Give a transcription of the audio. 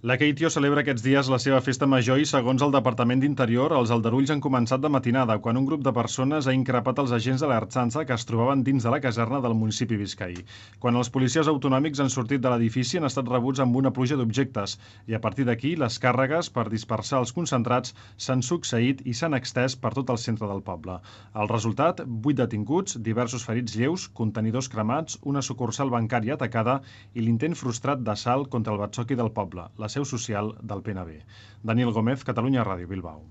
La Keitio celebra aquests dies la seva festa major i, segons el Departament d'Interior, els aldarulls han començat de matinada, quan un grup de persones ha increpat els agents de l'Ertzaintza que es trobaven dins de la caserna del municipi biscaí. Quan els policies autonòmics han sortit de l'edifici han estat rebuts amb una pluja d'objectes i, a partir d'aquí, les càrregues per dispersar els concentrats s'han succeït i s'han extès per tot el centre del poble. El resultat, 8 detinguts, diversos ferits lleus, contenidors cremats, una sucursal bancària atacada i l'intent frustrat d'assalt contra el batzoqui del poble, la seu social del PNB. Daniel Gómez, Catalunya Ràdio, Bilbao.